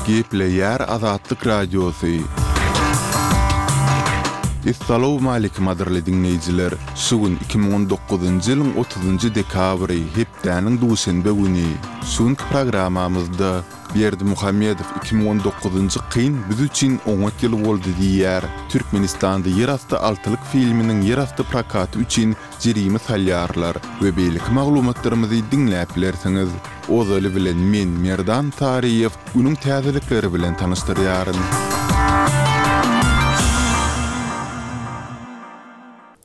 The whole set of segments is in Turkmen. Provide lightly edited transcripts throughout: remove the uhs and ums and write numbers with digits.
Gepleýär Azatlyk Radiosy. Essalawmaleýkim gadyrly diňleýjiler! Şu gün 2019-njy ýylyň otuzynjy dekabry, hepdäniň duşenbe güni. Şu günki programmamyzda Berdimuhamedow 2019-njy kyn biz üçin oňat ýyl boldy diýýär. Türkmenistanda Ýerasty altylyk filminiň ýerasty prokaty üçin jerime salýarlar we beýleki maglumatlarymyzy diňläp bilersiňiz. Ozaly bilen men Merdan Saryýew günüň täzelikleri bilen tanyşdyrýaryn.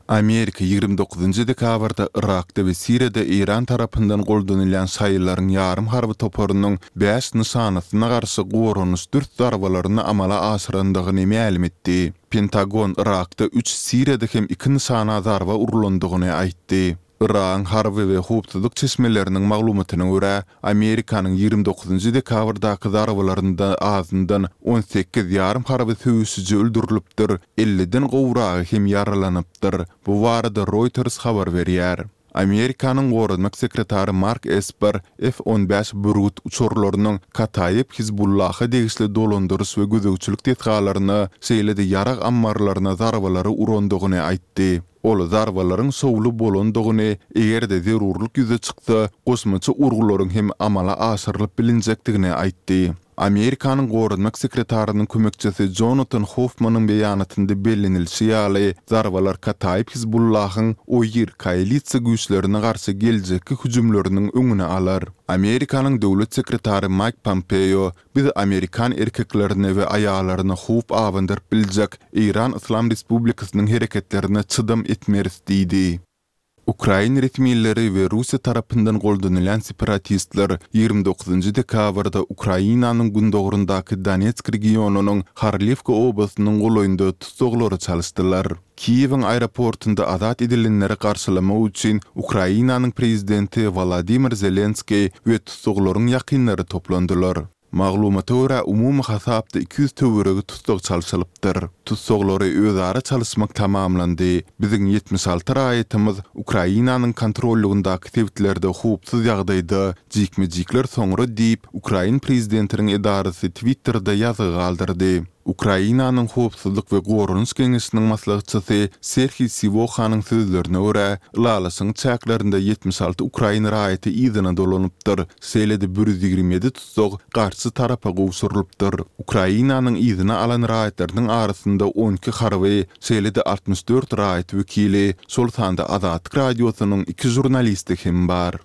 Amerika 29 dekabrda Yrakda we Siriýada Eýran tarapyndan goldanylýan şaýylaryň ýarym harby toparynyň bäş nyşanasyna garşy goranyş dürs zarbalaryny amala aşyrandygyny mälim etdi. Pentagon Yrakda üç, Siriýada hem iki nyşana zarba urlandygyny aýtdy. Yragyň harby we howpsuzlyk çeşmeleriniň maglumatyna görä, Amerikanyň 29 dekabrdaky zarbalarynda azyndan 18 ýarym harby söweşiji öldürilipdir, elliden gowragy hem ýaralanypdyr. Bu barada Reuters habar berýär. Amerikanyň goranmak sekretary Mark Esper F-on bäş Bürgüt uçarlarynyň Kataib Hizbullaha degişli dolandyryş we gözegçilik desgalaryna, şeýle-de ýarag ammarlaryna zarbalary urandygyny aýtdy. Ol zarbalaryň şowly bolandygyny, eger-de zerurlyk ýüze çyksa, goşmaça urgularyň hem amala aşyrylyp bilinjekdigini aýtdy. Amerikanyň goranmak sekretarynyň kömekçisi Jonatan Hoffmanyň beýanatynda bellenilişi ýaly, zarbalar Kataib Hizbullahyň OIR koalisiýa güýçlerine garşy geljekki hüjümleriniň öňüni alar. Amerikanyň döwlet sekretary Maýk Pompeo Biz amerikan erkeklerine we aýallaryna howp abandyryp biljek Eýran Yslam Respublikasynyň hereketlerine çydam etmeris diýdi. Ukrain resmileri we Russiýa tarapyndan goldanylýan separatistler 29 dekabrda Ukrainanyň gündogaryndaky Donetsk regionynyň Horliwka obasynyň golaýynda tussaglary çalyşdylar. Kiýewiň aeroportunda azat edilenleri garşylamak üçin Ukrainanyň prezidenti Wolodymyr Zelenskiý we tussaglaryň ýakynlary toplandylar. Maglumata görä, umumy hasapda 200 töweregi tussag çalşylypdyr. Tussaglary özara çalyşmak tamamlandy. Biziň 76 raýatymyz Ukrainanyň kontrollygyndaky sebitlerde howpsuz ýagdaýda, jikme-jikler soňra diýip, ukrain prezidentiniň edarasy Twitterde ýazgy galdyrdy. Ukrainanyň Howpsuzlyk we goranyş geňeşiniň maslahatçysy Serhiý Siwohanyň sözlerine görä, ylalaşygyň çäklerinde 76 ukrain raýaty yzyna dolanypdyr, şeýle-de 127 tussag garşy tarapa gowşurylypdyr. Ukrainanyň yzyna alan raýatlarynyň arasynda 12 harby, şeýle-de 64 raýat wekili, şol sanda Azatlyk Radiosynyň iki žurnalisti hem bar.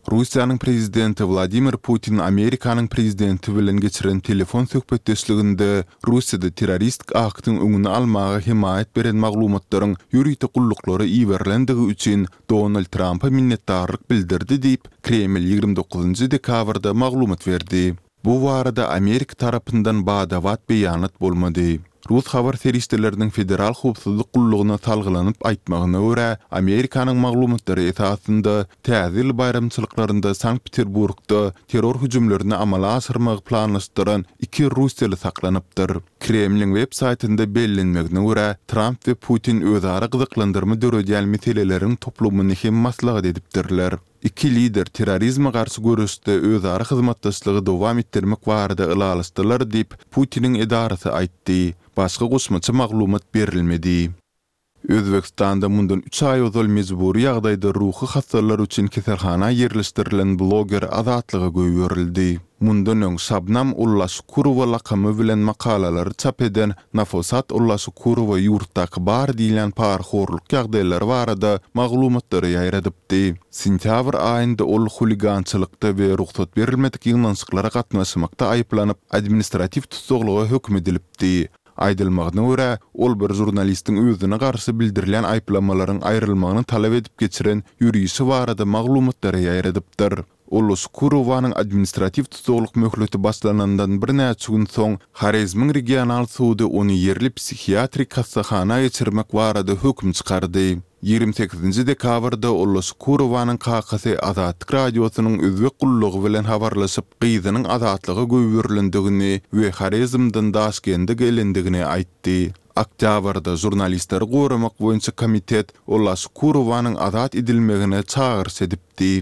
Russiýanyň prezidenti Wladimir Putin Amerikanyň prezidenti bilen geçiren telefon söhbetdeşliginde Russiýada terroristik aktyň öňüni almaga hemaýat beren maglumatlaryň ýörite gulluklara iberilendigi üçin Donald Trampa minnetdarlyk bildirdi diýip, Kreml 29 dekabrda maglumat berdi. Bu barada Amerika tarapyndan bada-bat beýanat bolmady. Rus habar serişdeleriniň Federal howpsuzlyk gullugyna salgylanyp aýtmagyna görä, Amerikanyň maglumatlary esasynda Täze ýyl baýramçylyklarynda Sankt-Peterburgda terror hüjümlerini amala aşyrmagy planlaşdyran iki russiýaly saklanypdyr. Kremliň web saýtynda bellenmegine görä, Tramp we Putin özara gyzyklandyrma döredýän meseleleriň toplumyny hem maslahat edipdirler. Iki lider terrorizme garşy göreşde özara hyzmatdaşlygy dowam etdirmek barada ylalaşdylar diýip, Putiniň edarasy aýtdy. Başga goşmaça maglumat berilmedi. Özbegistanda mundan üç aý ozal mejbury ýagdaýda ruhy hassalar üçin keselhana ýerleşdirilen bloger azatlyga goýberildi. Mundan öň Şabnam Ullaşukurowa lakamy bilen makalalary çap eden Nafosat Ullaşukurowa ýurtdaky bar diýilýän parahorluk ýagdaýlary barada maglumatlary ýaýradypdy. Sentýabr aýynda ol huligançylykda we rugsat berilmedik ýygnanyşyklara gatnaşmakda aýyplanyp, administratiw tussaglyga höküm edilipdi. Aýdylmagyna görä, ol bir žurnalistiň özüne garşy bildirilýän aýyplamalaryň aýrylmagyny talap edip geçiren ýörişi barada maglumatlary ýaýradypdyr. Olloşukurowanyň administratiw tussaglyk möhleti başlanandan birnäçe gün soň, Horezmiň regional sudy ony ýerli psihiatrik hassahana geçirmek barada höküm çykardy. 28 dekabrda Olloşukurowanyň kakasy Azatlyk Radiosynyň özbek gullugy bilen habarlaşyp, gyzynyň azatlyga goýberilendigini we Horezmden Daşkende gelendigini aýtdy. Oktýabrda Žurnalistleri goramak boýunça komitet Ollaşukurowanyň azat edilmegine çagyryş edipdi.